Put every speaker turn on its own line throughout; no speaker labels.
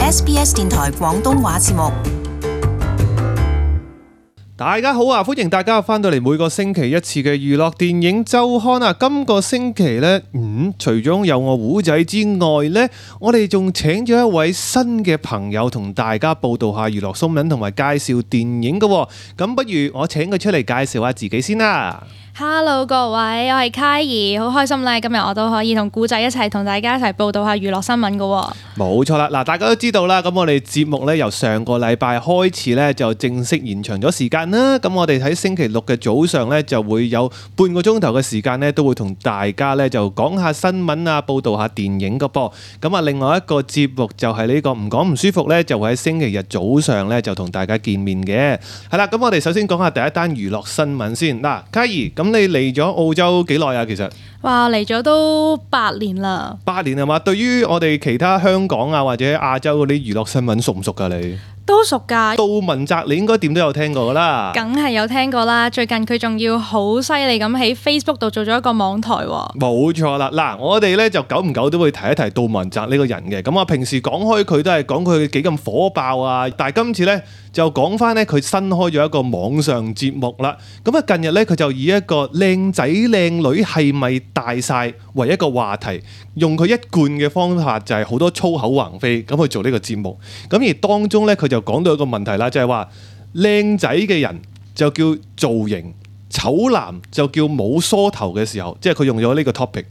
SBS 電台廣東話節目。
大家好啊！歡迎大家翻到嚟每個星期一次嘅娛樂電影週刊啊！今個星期呢，除咗有我胡仔之外呢，我哋仲請咗一位新嘅朋友同大家報道下娛樂新聞同埋介紹電影嘅。咁不如我請佢出嚟介紹下自己先啦。
Hello 各位，我係揩兒，好開心咧！今日我都可以同古仔一齊同大家一齊報道下娛樂新聞嘅。
冇錯啦，嗱，大家都知道啦，咁我哋節目咧由上個禮拜開始咧就正式延長咗時間啦。咁我哋喺星期六嘅早上咧就會有半個鐘頭嘅時間咧，都會同大家咧就講下新聞啊，報道下電影嘅噃。咁啊，另外一個節目就係呢個唔講唔舒服咧，就會喺星期日早上咧就同大家見面嘅。係啦，咁我哋首先講下第一單娛樂新聞先。嗱，揩兒，咁你嚟咗澳洲幾耐啊？其實
哇，嚟咗都8年啦。
8年係嘛？對於我哋其他香港啊或者亞洲嗰啲娛樂新聞熟唔熟㗎你？
都熟㗎。
杜汶澤你應該點都有聽過㗎啦。
梗係有聽過啦。最近佢仲要好犀利咁喺 Facebook 度做咗一個網台喎。
冇錯啦。嗱，我哋咧就久唔久都會提一提杜汶澤呢個人嘅。咁啊，平時講開佢都係講佢幾咁火爆啊。但係今次咧就講翻咧佢新開咗一個網上節目啦。咁啊，近日咧佢就以一個靚仔靚女係咪大晒為一個話題，用佢一貫嘅方法就係好多粗口橫飛咁去做呢個節目。咁而當中咧佢就講到一個問題啦，就係話靚仔嘅人就叫造型，醜男就叫冇梳頭嘅時候，即係佢用咗呢個 topic。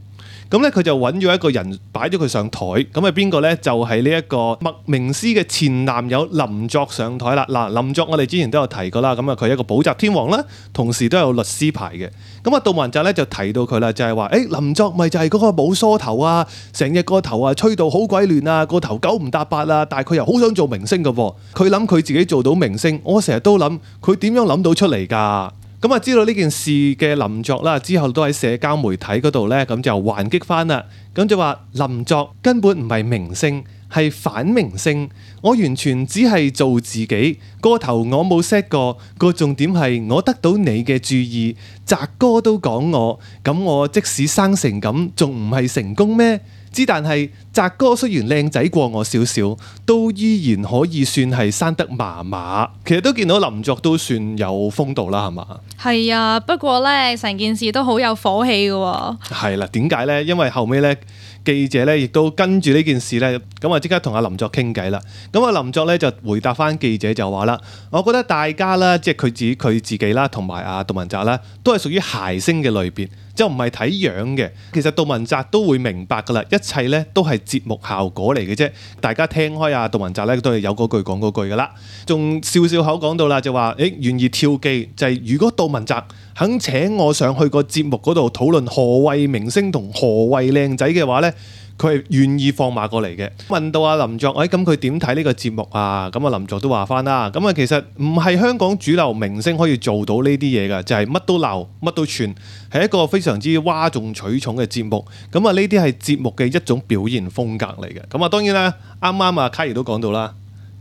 咁咧佢就揾咗一個人擺咗佢上台，咁係邊個呢？就係呢一個麥明詩嘅前男友林作上台啦。嗱，林作我哋之前都有提過啦，咁啊佢係一個補習天王啦，同時都有律師牌嘅。咁啊杜汶澤咧就提到佢啦，就係話林作咪就係嗰個冇梳頭啊，成日個頭啊吹到好鬼亂啊，個頭九唔搭八啊，但係佢又好想做明星㗎喎。佢諗佢自己做到明星，我成日都諗佢點樣諗到出嚟㗎？咁啊，知道呢件事嘅林作啦，之後都喺社交媒體嗰度呢，咁就還擊翻啦。咁就話林作根本唔係明星，係反明星。我完全只係做自己，個頭我冇 set 過。個重點係我得到你嘅注意，澤哥都講我，咁我即使生成咁，仲唔係成功咩？但係澤哥雖然靚仔過我少少，都依然可以算係生得麻麻。其實都見到林作都算有風度啦，係嘛？
係啊，不過呢，成件事都好有火氣嘅喎。係
啦，點解呢？因為後尾呢，記者呢亦都跟住呢件事呢，咁啊即刻同阿林作傾偈啦。咁啊林作呢就回答翻記者就話啦，我覺得大家啦，即係佢自己啦，同埋阿杜汶澤啦，都係屬於諧星嘅類別。就唔係睇樣嘅，其實杜汶澤都會明白㗎啦，一切咧都係節目效果嚟嘅啫。大家聽開啊，杜汶澤咧都係有嗰句講嗰句㗎啦，仲笑笑口講到啦，就話願意跳機，就係如果杜汶澤肯請我上去個節目嗰度討論何謂明星同何謂靚仔嘅話咧，佢係願意放馬過嚟嘅。問到阿林作，咁佢點睇呢個節目啊？咁啊林作都話翻啦，咁啊其實唔係香港主流明星可以做到呢啲嘢㗎，就係乜都鬧，乜都串，係一個非常之嘩眾取寵嘅節目。咁啊呢啲係節目嘅一種表現風格嚟嘅。咁啊當然啦，啱啱啊揩兒都講到啦，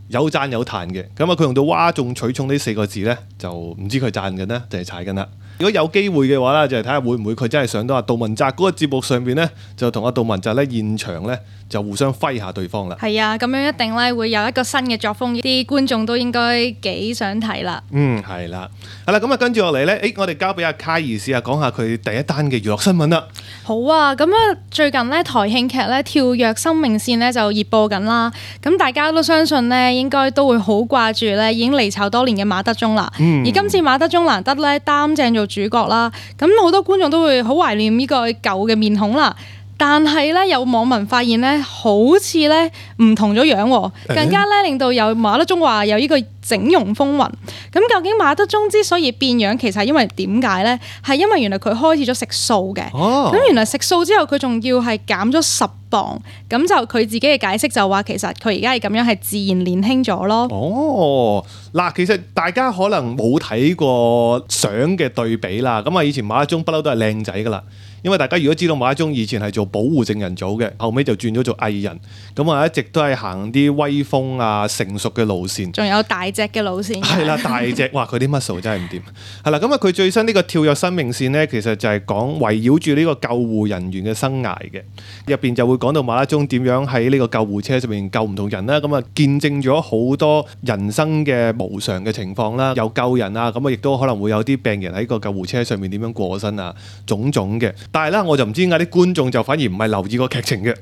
有讚有彈嘅。咁啊佢用到嘩眾取寵呢4個字呢，就唔知佢讚緊呢定係踩緊啦。如果有機會嘅話咧，就係睇下會唔會佢真係上到阿杜汶澤嗰個節目上邊咧，就同阿杜汶澤咧現場咧就互相揮下對方啦。
係啊，咁樣一定咧會有一個新嘅作風，啲觀眾都應該幾想睇啦。
係啦，係啦，咁啊跟住落嚟咧，我哋交俾阿揩兒試下講下佢第一單嘅娛樂新聞啦。
好啊，咁啊最近咧台慶劇咧《跳躍生命線》咧就熱播緊啦。咁大家都相信咧，應該都會好掛住咧已經離巢多年嘅馬德鐘啦。而今次馬德鐘難得咧擔正做主角啦，咁好多觀眾都會好懷念呢個舊嘅面孔啦。但係咧，有網民發現咧，好似咧唔同咗樣喎，更加咧令到有馬德鐘話有呢個整容風雲。咁究竟馬德鐘之所以變樣，其實係因為點解咧？係因為原來佢開始咗食素嘅。咁原來食素之後，佢仲要係減咗10磅。咁就佢自己嘅解釋就話，其實佢而家係咁樣係自然年輕咗咯。
嗱，其實大家可能冇睇過相嘅對比啦。咁啊，以前馬德鐘不嬲都係靚仔噶啦。因為大家如果知道馬德鐘以前係做保護證人組嘅，後尾就轉咗做藝人，咁啊一直都係行啲威風啊成熟嘅路線，
仲有大隻嘅路線。
係啦，大隻，哇！佢啲 muscle 真係唔掂。係啦，咁啊佢最新呢個跳躍生命線呢，其實就係講圍繞住呢個救護人員嘅生涯嘅，入邊就會講到馬德鐘點樣喺呢個救護車上面救唔同人啦，咁啊見證咗好多人生嘅無常嘅情況啦，有救人啊，咁啊亦都可能會有啲病人喺個救護車上面點樣過身啊，種種嘅。但係咧，我就唔知點解啲觀眾就反而唔係留意個劇情嘅。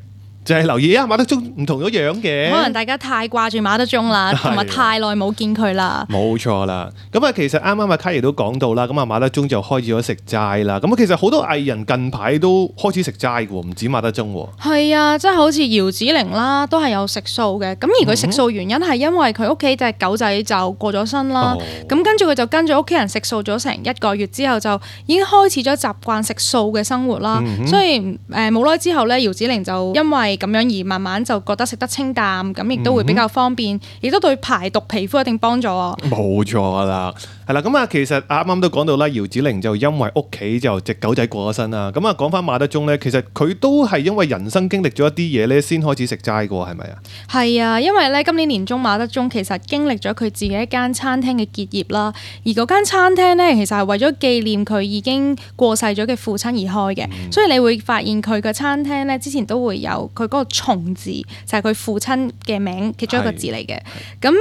就係留意啊，馬德鐘唔同咗樣嘅。
可能大家太掛住馬德鐘啦，同埋太耐冇見佢啦。
冇錯啦。咁啊，其實啱啱阿卡爺都講到啦，咁啊馬德鐘就開始咗食齋啦。咁啊，其實好多藝人近排都開始食齋嘅喎，唔止馬德鐘喎。
係啊，即係好似姚子羚啦，都係有食素嘅。咁而佢食素原因係因為佢屋企隻狗仔就過咗身啦。咁跟住佢就跟住屋企人食素咗成1個月之後，就已經開始咗習慣食素嘅生活啦。所以冇耐之後咧，姚子羚就因為咁樣而慢慢就覺得食得清淡，咁亦都會比較方便，亦都對排毒皮膚一定幫助。
冇錯啦，係啦，咁啊，其實啱啱都講到啦，姚子羚就因為屋企就隻狗仔過咗身啦。咁啊，講翻馬德鐘咧，其實佢都係因為人生經歷咗一啲嘢咧，先開始食齋嘅喎，係咪啊？
係啊，因為咧今年年中馬德鐘其實經歷咗佢自己一間餐廳嘅結業啦，而嗰間餐廳咧其實係為咗紀念佢已經過世咗嘅父親而開嘅，所以你會發現佢嘅餐廳咧之前都會有佢嗰個蟲字，就係佢父親嘅名其中一個字嚟嘅。咁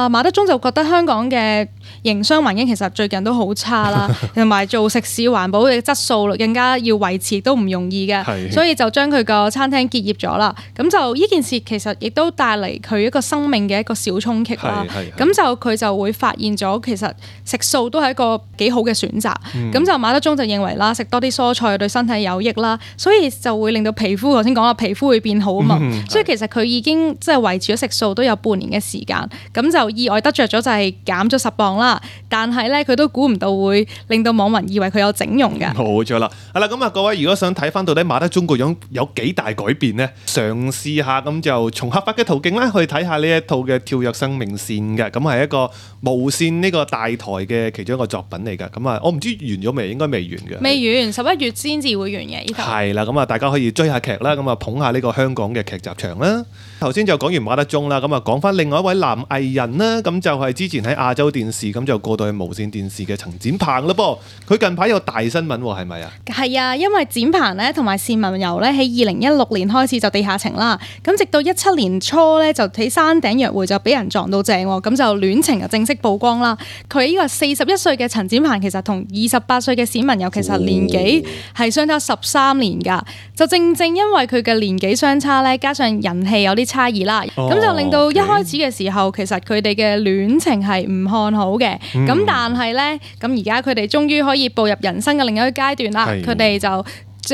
馬德鐘就覺得香港嘅營商環境其實最近都好差啦，同埋做食肆環保嘅質素更加要維持都唔容易嘅，所以就將佢個餐廳結業咗啦。咁就呢件事其實亦都帶嚟佢一個生命嘅一個小衝擊啦。咁就佢就會發現咗其實食素都係一個幾好嘅選擇。咁就馬德鐘就認為啦，食多啲蔬菜對身體有益啦，所以就會令到皮膚，頭先講話皮膚會變好啊嘛。所以其實佢已經即係維持咗食素都有半年嘅時間，咁就意外得着咗就係減咗10磅啦。但係咧佢都估唔到會令到網民以為佢有整容㗎。冇
錯啦，係啦，咁啊各位如果想睇翻到底馬德鐘個樣有幾大改變呢？嘗試下咁就從合法嘅途徑咧去睇下呢一套嘅跳躍生命線嘅，咁係一個無線呢個大台嘅其中一個作品嚟㗎。咁啊我唔知完咗未，應該未完嘅。
未完，11月先至會完嘅呢套。
係啦，咁啊大家可以追下劇啦，咁啊捧下呢個香港嘅劇集場啦。頭先就講完馬德鐘啦，咁啊講翻另外一位男藝人啦，咁就係之前喺亞洲電視咁就過到去無線電視嘅陳展鵬啦噃。佢近排有大新聞喎，係咪啊？係
啊，因為展鵬咧同埋單文柔咧喺2016年開始就地下情啦，咁直到17年初咧就喺山頂約會就俾人撞到正喎，咁就戀情就正式曝光啦。佢呢個41歲嘅陳展鵬其實同28歲嘅單文柔其實年紀係相差13年㗎，就正因為佢嘅年紀相差咧，加上人氣有啲差異啦，咁就令到一開始嘅時候其實佢哋嘅戀情係唔看好嘅，咁但係咧，咁而家佢哋終於可以步入人生嘅另一個階段啦，佢哋就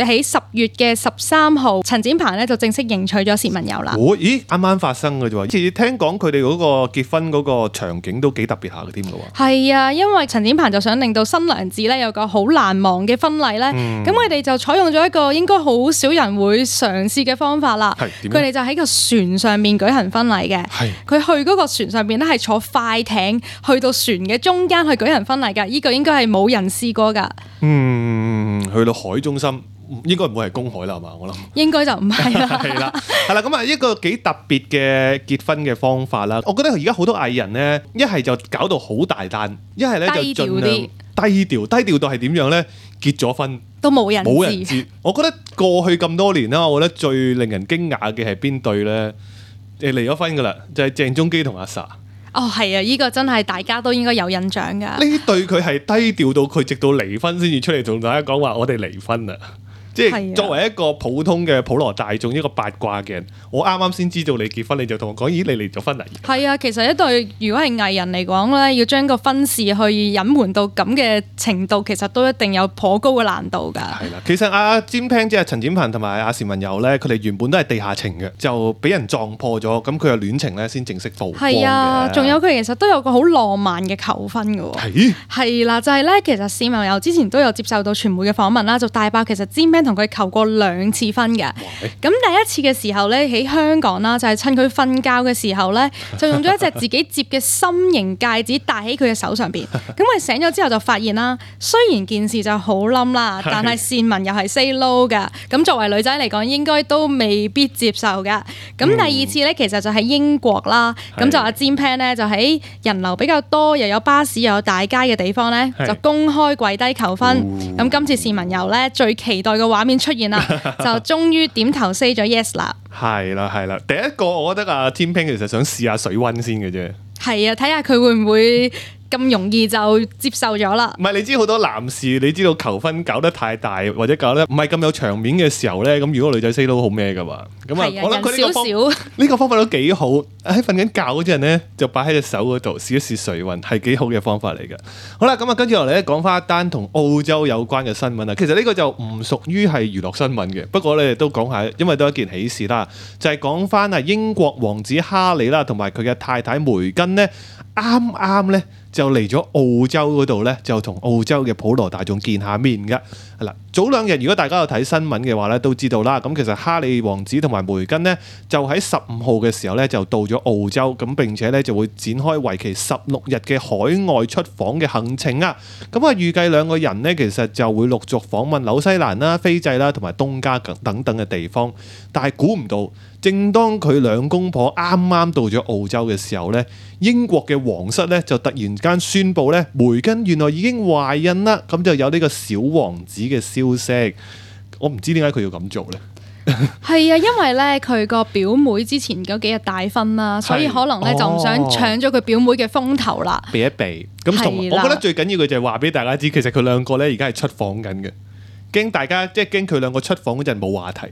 喺10月嘅13號，陳展鵬咧就正式迎娶咗單文柔啦。
咦，啱啱發生嘅啫喎！以前聽講佢哋嗰個結婚嗰個場景都幾特別下嘅添嘅喎。係
啊，因為陳展鵬就想令到新娘子咧有個好難忘嘅婚禮咧，咁佢哋就採用咗一個應該好少人會嘗試嘅方法啦。佢哋就喺個船上面舉行婚禮嘅。佢去嗰個船上邊咧係坐快艇去到船嘅中間去舉行婚禮㗎，呢個應該係冇人試過㗎。
去到海中心。應該唔會係公海啦，係嘛？我諗
應該就唔係啦。
係啦，係啦，咁啊一個幾特別嘅結婚嘅方法啦。我覺得而家好多藝人咧，一係就搞到好大單，一係咧就盡量低調到係點樣咧？結咗婚
都冇人知。
我覺得過去咁多年啦，我覺得最令人驚訝嘅係邊對咧？離咗婚噶啦，就係鄭中基同阿 Sa。
哦，係啊，呢個真係大家都應該有印象㗎。
呢對佢係低調到佢直到離婚先至出嚟同大家講話，我哋離婚啦。即係作為一個普通嘅普羅大眾，一個八卦嘅人，我啱啱先知道你結婚，你就同我講：咦，你離咗婚啦？
係啊，其實一對如果係藝人嚟講咧，要將個婚事去隱瞞到咁嘅程度，其實都一定有頗高嘅難度㗎。係啦，
其實阿詹平即係陳展鵬同埋阿單文柔咧，佢哋原本都係地下情嘅，就俾人撞破咗，咁佢嘅戀情咧先正式曝光嘅。係啊，
仲有佢其實都有個好浪漫嘅求婚㗎喎。係啦，就係咧，其實單文柔之前都有接受到傳媒嘅訪問啦，就大爆其實詹平 Pan 同佢求過2次婚嘅。咁第一次嘅時候咧，喺香港啦，就係趁佢瞓覺嘅時候咧，就用咗一隻自己摺嘅心形戒指戴喺佢嘅手上邊。咁佢醒咗之後就發現啦，雖然件事就好冧啦，但係善文又係 say no 㗎。咁作為女仔嚟講，應該都未必接受㗎。咁第二次咧，其實就喺英國啦。咁就阿 Jim Pan 咧，就喺人流比較多，又有巴士又有大街嘅地方咧，就公開跪低求婚。咁今次善文由咧最期待嘅畫面出現啦，就終於點頭 say 咗 yes 啦。
係啦，第一個我覺得阿 Jim Pan 其實想試下水溫先嘅啫。
係啊，睇下佢會唔會咁容易就接受咗啦。
唔係，你知好多男士，你知道求婚搞得太大或者搞得唔係咁有場面嘅時候咧，咁如果女仔 say 都好咩噶嘛。咁啊，我諗佢呢個方法都幾好。喺瞓緊覺嗰陣咧，就擺喺隻手嗰度試一試水溫，係幾好嘅方法嚟嘅。好啦，咁啊，跟住落嚟咧，講翻一單同澳洲有關嘅新聞啊。其實呢個就唔屬於係娛樂新聞嘅，不過咧都講下，因為都係一件喜事啦。就係講翻啊英國王子哈利啦，同埋佢嘅太太梅根呢，啱啱咧就嚟咗澳洲嗰度咧，就同澳洲嘅普羅大眾見下面嘅。係啦，早2日如果大家有睇新聞嘅話咧，都知道啦。咁其實哈利王子同埋梅根呢，就喺15號嘅時候咧就到咗澳洲，咁並且咧就會展開為期16日嘅海外出訪嘅行程啊。咁啊預計2個人呢，其實就會陸續訪問紐西蘭啦、斐濟啦同埋東加等等嘅地方。但係估唔到，正當佢2公婆啱啱到咗澳洲嘅時候咧，英國嘅皇室咧就突然間宣布咧，梅根原來已經懷孕啦，咁就有呢個小王子嘅消息。我唔知點解佢要咁做咧。
係啊，因為咧佢個表妹之前嗰幾日大婚啦，所以可能咧就唔想搶咗佢表妹嘅風頭啦，
避一避。咁同我覺得最緊要嘅就係話俾大家知，其實佢2個咧而家係出訪緊嘅，驚大家即係驚佢2個出訪嗰陣冇話題，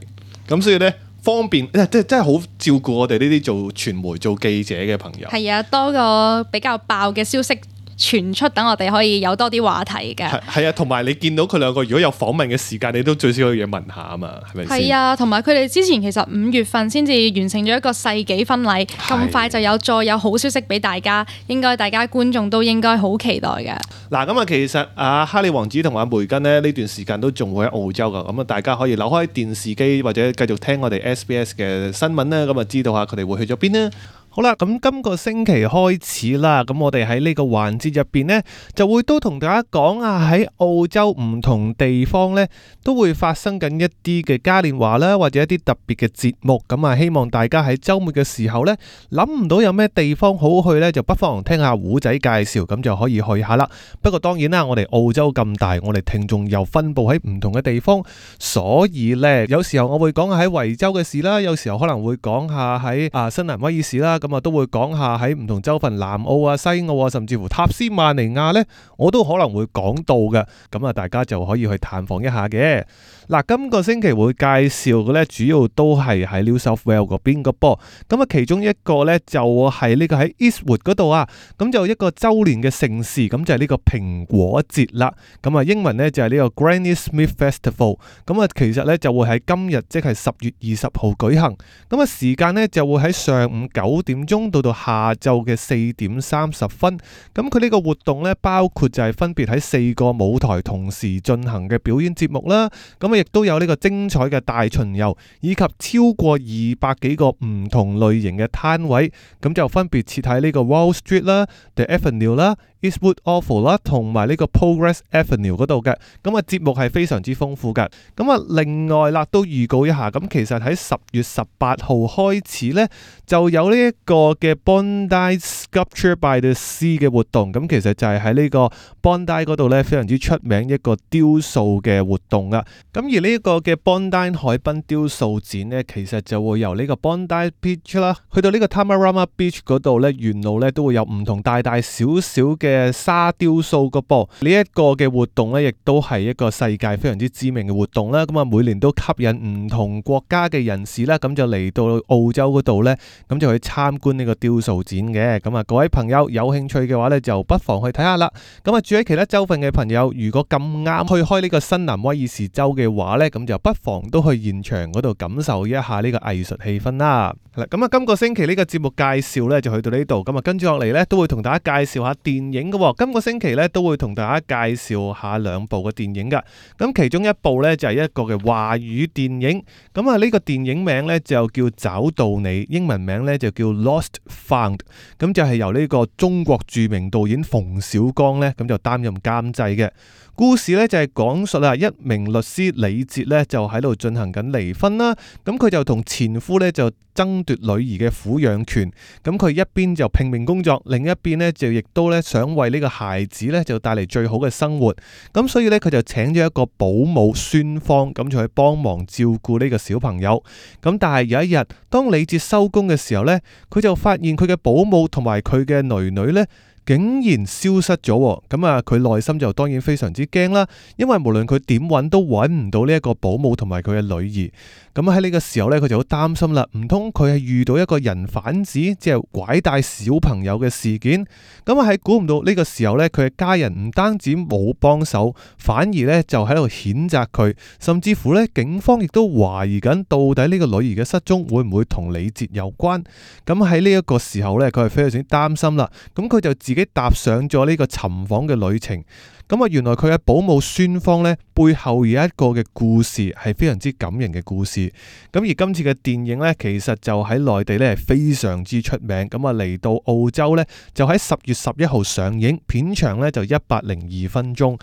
咁所以咧方便真係好照顧我哋呢啲做傳媒做記者嘅朋友。
係啊，多個比較爆嘅消息傳出，等我哋可以有多啲話題嘅。
係啊，同埋你見到佢2個如果有訪問嘅時間，你都最少有嘢問下啊嘛，係咪先？
係啊，同埋佢哋之前其實5月份先至完成咗一個世紀婚禮，咁快就再有好消息俾大家，應該大家觀眾都應該好期待嘅。
嗱，咁啊，其實哈利王子同埋梅根呢段時間都仲會喺澳洲噶，咁啊大家可以扭開電視機或者繼續聽我哋 SBS 嘅新聞啦，咁啊知道下佢哋會去咗邊呢？好啦，咁今個星期開始啦，咁我哋喺呢個環節入邊呢，就會都同大家講啊，喺澳洲唔同地方呢，都會發生緊一啲嘅嘉年華啦，或者一啲特別嘅節目，咁啊希望大家喺週末嘅時候呢，諗唔到有咩地方好去呢，就不妨聽下胡仔介紹，咁就可以去下啦。不過當然啦，我哋澳洲咁大，我哋聽眾又分佈喺唔同嘅地方，所以呢，有時候我會講下喺維州嘅事啦，有時候可能會講下喺新南威爾士啦。咁啊都會講下喺唔同州份南澳啊、西澳啊，甚至乎塔斯曼尼亞呢，我都可能會講到嘅。咁啊，大家就可以去探訪一下嘅。嗱，今個星期會介紹嘅呢，主要都係喺 New South Wales 嗰邊個噃。咁啊，其中一個呢，就係呢個喺 Eastwood 嗰度啊。咁就一個周年嘅盛事，咁就係呢個蘋果節啦。咁啊，英文呢，就係呢個 Granny Smith Festival。咁啊，其實呢，就會喺今日即係10月20號舉行。咁啊，時間呢，就會喺上午9點鐘到下晝嘅4點30分。咁佢呢個活動呢，包括就係分別喺4個舞台同時進行嘅表演節目啦。咁啊，亦都有呢個精彩嘅大巡遊，以及超過200幾個唔同類型嘅攤位。咁就分別設喺呢個 Wall Street 啦、The Avenue 啦、Eastwood Oval 啦，同埋呢個 Progress Avenue 嗰度嘅。咁啊，節目係非常之豐富嘅。咁啊，另外啦，都預告一下，咁其實喺10月18號開始呢，就有呢一個嘅 Bondi Sculpture by the Sea 嘅活動。咁其實就係喺呢個 Bondi 嗰度呢，非常之出名一個雕塑嘅活動啊。咁而呢一個嘅 Bondi 海濱雕塑展呢，其實就會由呢個 Bondi Beach 啦，去到呢個 Tamarama Beach 嗰度呢，沿路呢都會有唔同大大小小嘅沙雕塑個噃。呢一個嘅活動呢，亦都係一個世界非常之知名嘅活動啦。咁啊，每年都吸引唔同國家嘅人士啦，咁就嚟到澳洲嗰度呢，咁就去參觀呢個雕塑展嘅。咁啊，各位朋友有興趣嘅話呢，就不妨去睇下啦。咁啊，住喺其他州份嘅朋友，如果咁啱去開呢個新南威爾士州嘅話呢，咁就不妨都去現場嗰度感受一下呢個藝術氣氛啦。咁啊，今個星期呢個節目介紹呢就去到呢度，咁啊跟住落嚟呢都會同大家介紹下電影嘅。今個星期呢都會同大家介紹下兩部嘅電影噶。咁其中一部呢就係一個嘅華語電影，咁啊呢個電影名呢就叫找到你，英文名呢就叫 Lost Found， 咁就係由呢個中國著名導演馮小剛呢咁就擔任監製嘅。故事呢就係講述一名律師李哲呢就喺度進行緊離婚啦，咁佢就同前夫呢就爭奪女兒嘅撫養權，咁佢一邊就拼命工作，另一邊呢就亦都呢想為呢個孩子呢就帶嚟最好嘅生活，咁所以呢，佢就請咗一個保姆孫芳，咁就去幫忙照顧呢個小朋友。咁但係有一日，當李哲收工嘅時候呢，佢就發現佢嘅保姆同埋佢嘅女女呢竟然消失咗，咁啊佢內心就當然非常之驚啦，因為無論佢點揾都揾唔到呢一個保姆同埋佢嘅女兒。咁喺呢個時候呢，佢就好擔心啦，唔通佢係遇到一個人販子，即係拐帶小朋友嘅事件？咁啊喺估唔到呢個時候呢，佢嘅家人唔單止冇幫手，反而呢就喺度譴責佢，甚至乎呢警方亦都懷疑緊到底呢個女兒嘅失蹤會唔會同李哲有關？咁喺呢一個時候呢，佢係非常之擔心啦，咁佢就自己踏上咗呢個尋訪嘅旅程。咁啊，原來佢嘅保姆孫芳呢，背後有一個嘅故事係非常之感人嘅故事。咁而今次嘅電影呢，其實就喺內地呢係非常之出名。咁啊嚟到澳洲呢，就喺10月11號上映，片長呢就102分鐘。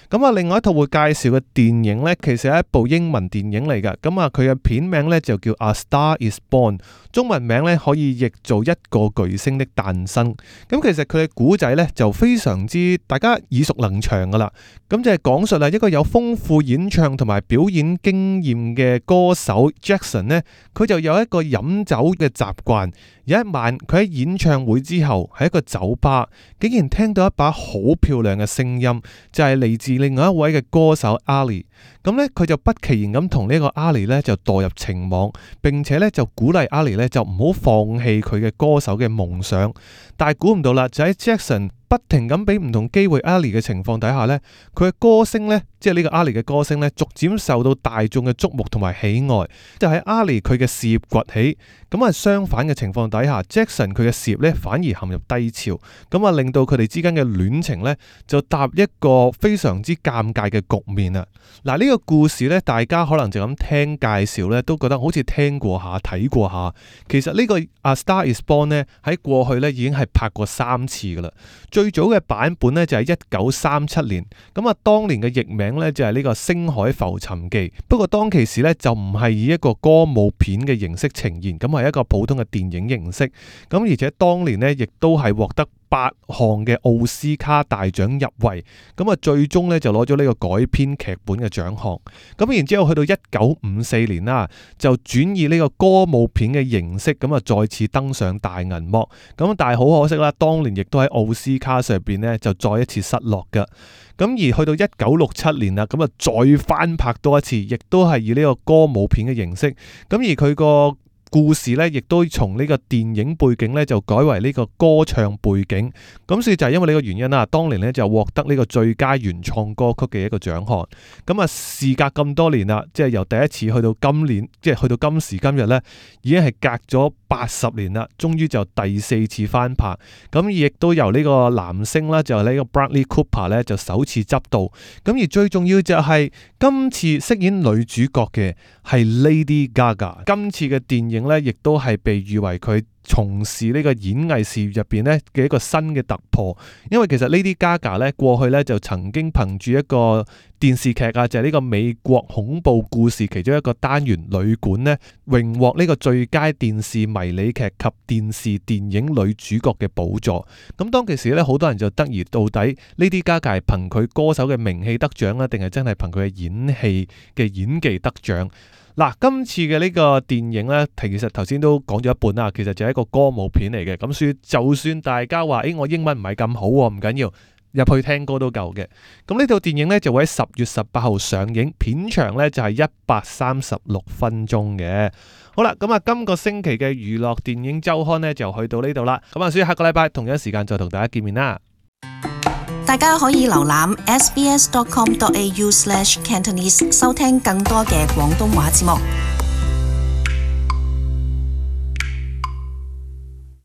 咁啊，另外一套會介紹嘅電影呢，其實係一部英文電影嚟㗎。咁啊，佢嘅片名呢就叫 A Star Is Born， 中文名呢可以譯做一個巨星的誕生。咁其實佢嘅古仔呢就非常之大家耳熟能詳噶啦。咁就係講述一個有豐富演唱同埋表演經驗嘅歌手 Jackson 呢，佢就有一個飲酒嘅習慣。有一晚佢喺演唱會之後喺一個酒吧，竟然聽到一把好漂亮嘅聲音，就係嚟自另外一位嘅歌手 Ali。咁呢，佢就不其然咁同呢個 Ali 呢就墮入情網，並且呢就鼓勵 Ali 呢就唔好放棄佢嘅歌手嘅夢想。但係估唔到啦，就喺 Jackson 不停咁俾唔同機會 Ali 嘅情況底下呢，佢嘅歌聲呢，即係呢個 Ali 嘅歌聲呢，逐漸受到大眾嘅矚目同埋喜愛。就喺 Ali 佢嘅事業崛起，咁啊相反嘅情況底下 Jackson 佢嘅事業呢反而陷入低潮，咁啊令到佢哋之間嘅戀情呢就踏入一個非常之尷尬嘅局面啊！嗱，呢個故事呢，大家可能就咁聽介紹呢，都覺得好似聽過下睇過下。其實呢個 A Star Is Born 呢，喺過去呢已經係拍過3次噶啦。最早嘅版本呢，就係1937年，咁啊當年嘅譯名呢，就係呢個《星海浮沉記》，不過當其時呢，就唔係以一個歌舞片嘅形式呈現，咁係一個普通嘅電影形式，咁而且當年呢，亦都係獲得8項嘅奧斯卡大獎入圍，咁啊最終呢就攞咗呢個改編劇本嘅獎項。咁然之後去到1954年啦，就轉以呢個歌舞片嘅形式，咁啊再次登上大銀幕。咁但係好可惜啦，當年亦都喺奧斯卡上邊呢就再一次失落㗎。咁而去到1967年啦，咁啊再翻拍多一次，亦都係以呢個歌舞片嘅形式。咁而佢個故事呢，亦都從呢個電影背景呢，就改為呢個歌唱背景。咁所以就係因為呢個原因啦，當年呢，就獲得呢個最佳原創歌曲嘅一個獎項。咁啊，事隔咁多年啦，即係由第一次去到今年，即係去到今時今日呢，已經係隔咗80年啦，終於就第4次翻拍。咁亦都由呢個男星啦，就係呢個 Bradley Cooper 呢，就首次執導。咁而最重要就係今次飾演女主角嘅係 Lady Gaga。今次嘅電影呢，亦都係被譽為佢從事呢個演藝事業入邊呢嘅一個新嘅突破。因為其實 Lady Gaga 呢，過去呢就曾經憑住一個電視劇啊，就係呢個美國恐怖故事其中一個單元旅館呢，榮獲呢個最佳電視迷你劇及電視電影女主角嘅寶座。咁當其時呢，好多人就質疑到底 Lady Gaga 係憑佢歌手嘅名氣得獎啦，定係真係憑佢嘅演戲嘅演技得獎？嗱，今次嘅呢個電影呢，其實頭先都講咗一半啦，其實就係一個歌舞片嚟嘅。咁所以就算大家話，我英文唔係咁好喎，唔緊要。入去聽歌都夠嘅。咁呢套電影呢，就會喺10月18號上映，片長呢就係136分鐘嘅。好啦，咁啊，今個星期嘅娛樂電影週刊呢，就去到呢度啦。咁啊，所以下個禮拜同樣時間再同大家見面啦。
大家可以瀏覽 sbs.com.au/cantonese 收聽更多嘅廣東話節目。